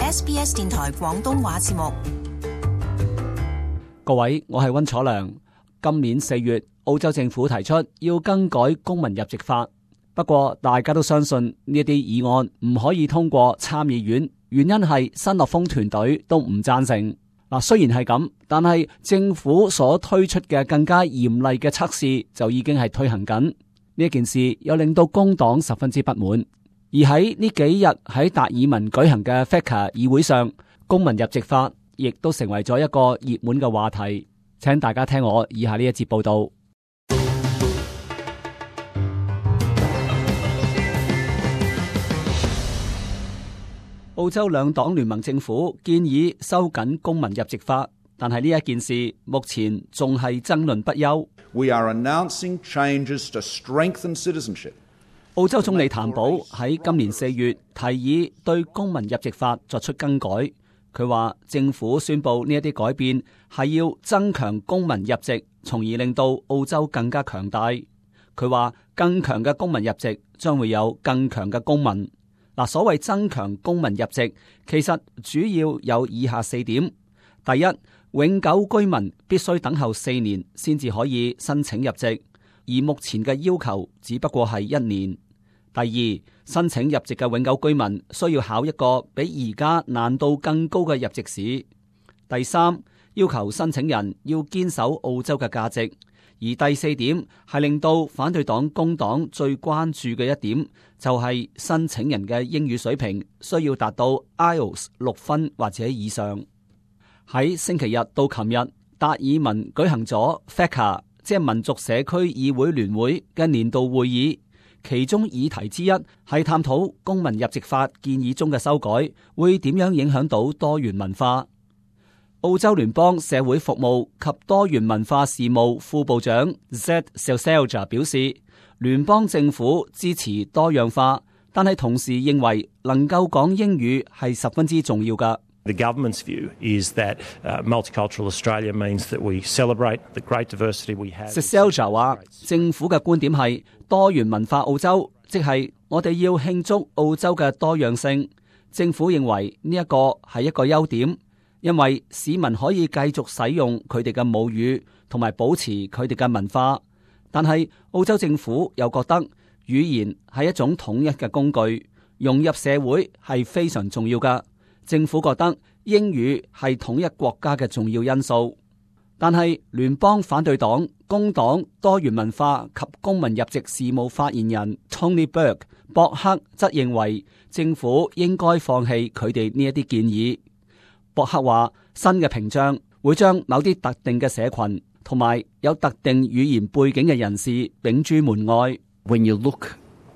SBS 電台廣東話節目。各位，我係溫楚良。今年4月，澳洲政府提出要更改公民入籍法，不過大家都相信呢啲議案唔可以通過參議院，原因係新樂豐團隊都唔贊成。雖然係咁，但係政府所推出嘅更加嚴厲嘅測試就已經係推行緊。呢件事又令到工黨十分之不滿。而喺呢幾日喺達爾文舉行嘅 FECA 議會上，公民入籍法亦都成為咗一個熱門嘅話題。請大家聽我以下呢一節報道。澳洲兩黨聯盟政府建議收緊公民入籍法，但係呢一件事目前仲係爭論不休。We are announcing changes to strengthen citizenship. 澳洲總理譚寶喺今年4月提議對公民入籍法作出更改。佢話政府宣布呢一啲改變係要增強公民入籍，從而令到澳洲更加強大。佢話更強嘅公民入籍將會有更強嘅公民。所謂增強公民入籍，其實主要有以下4點。第一，永久居民必須等候4年先至可以申請入籍，而目前嘅要求只不過係1年。第二，申請入籍嘅永久居民需要考一個比而家難度更高嘅入籍試。第三，要求申請人要堅守澳洲嘅價值。而第4點係令到反對黨工黨最關注嘅一點，就係申請人嘅英語水平需要達到 IELTS 6分或者以上。喺星期日到琴日，達爾文舉行咗 FECA， 即係民族社區議會聯會嘅年度會議。其中議題之一係探討公民入籍法建議中嘅修改會點樣影響到多元文化。澳洲聯邦社會服務及多元文化事務副部長 Zed Selselja 表示，聯邦政府支持多樣化，但係同時認為能夠講英語係十分之重要㗎。The government's view is that multicultural Australia means that we celebrate the great diversity we have. Selselja 話，政府嘅觀點係多元文化澳洲，即係我哋要慶祝澳洲嘅多樣性。政府認為呢一個係一個優點，因為市民可以繼續使用佢哋嘅母語，同埋保持佢哋嘅文化。但係澳洲政府又覺得語言係一種統一嘅工具，融入社會係非常重要㗎。政府覺得英語係統一國家嘅重要因素，但係聯邦反對黨工黨多元文化及公民入籍事務發言人 Tony Burke 博克則認為政府應該放棄佢哋呢一啲建議。博克話，新嘅屏障會將某啲特定嘅社群同埋有特定語言背景嘅人士摒諸門外。When you look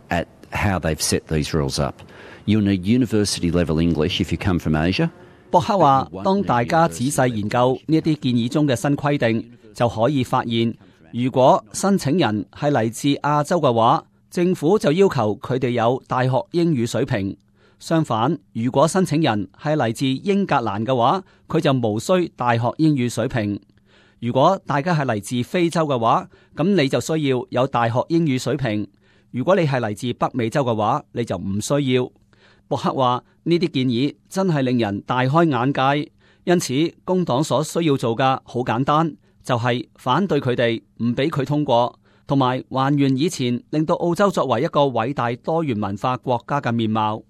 at how they've set these rules up, you need university level English if you come from Asia. 博克話，當大家仔細研究呢一啲建議中嘅新規定，就可以發現，如果申請人係嚟自亞洲嘅話，政府就要求佢哋有大學英語水平。相反，如果申請人係嚟自英格蘭嘅話，佢就無需大學英語水平。如果大家係嚟自非洲嘅話，咁你就需要有大學英語水平。如果你係嚟自北美洲嘅話，你就唔需要。博克話，呢啲建議真係令人大開眼界，因此工黨所需要做嘅好簡單，就係反對佢哋，唔俾佢通過，同埋還原以前令到澳洲作為一個偉大多元文化國家嘅面貌。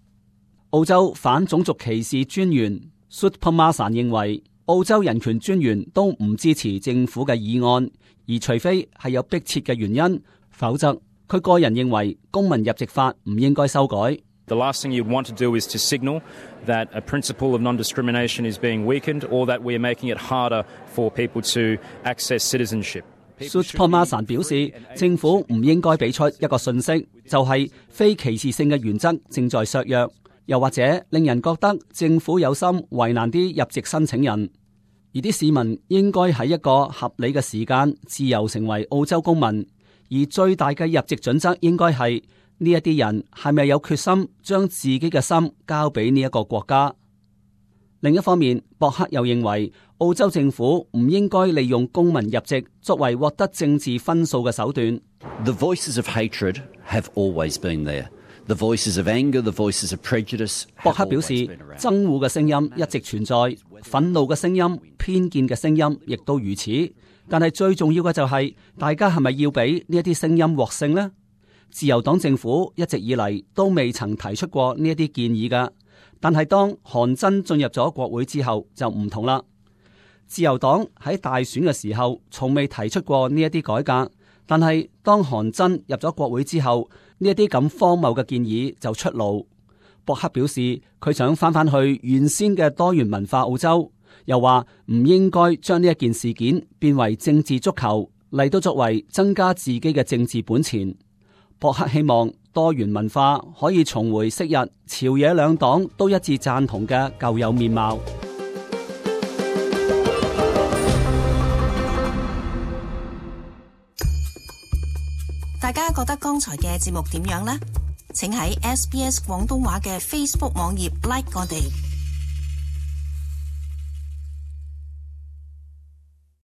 澳洲反種族歧視專員 Soutphommasane 認為，澳洲人權專員都唔支持政府嘅議案，而除非係有迫切嘅原因，否則佢個人認為公民入籍法唔應該修改。The last thing you'd want to do is to signal that a principle of non-discrimination is being weakened, or that we are making it harder for people to access citizenship. Soutphommasane 表示，政府唔應該俾出一個訊息，就係非歧視性嘅原則正在削弱，又或者令人覺得政府有心為難啲入籍申請人，而啲市民應該喺一個合理嘅時間自由成為澳洲公民，而最大嘅入籍準則應該係呢一啲人係咪有決心將自己嘅心交俾呢一個國家。另一方面，博克又認為澳洲政府唔應該利用公民入籍作為獲得政治分數嘅手段。The voices of hatred have always been there. The voices of anger, the voices of prejudice. 博克表示，憎惡嘅聲音一直存在，憤怒嘅聲音、偏見嘅聲音亦都如此。但係最重要嘅就係，大家係咪要俾呢一啲聲音獲勝呢？自由黨政府一直以嚟都未曾提出過呢一啲建議㗎，但係當韓真進入咗國會之後就唔同啦。自由黨喺大選嘅時候從未提出過呢一啲改革，但係當韓真入咗國會之後，呢一啲咁荒謬嘅建議就出爐。博克表示佢想返去原先嘅多元文化澳洲，又話唔應該將呢一件事件變為政治足球嚟到作為增加自己嘅政治本錢。博克希望多元文化可以重回昔日朝野兩黨都一致贊同嘅舊有面貌。大家覺得剛才嘅節目點樣呢？請喺SBS 廣東話嘅 Facebook 網頁 like 我哋。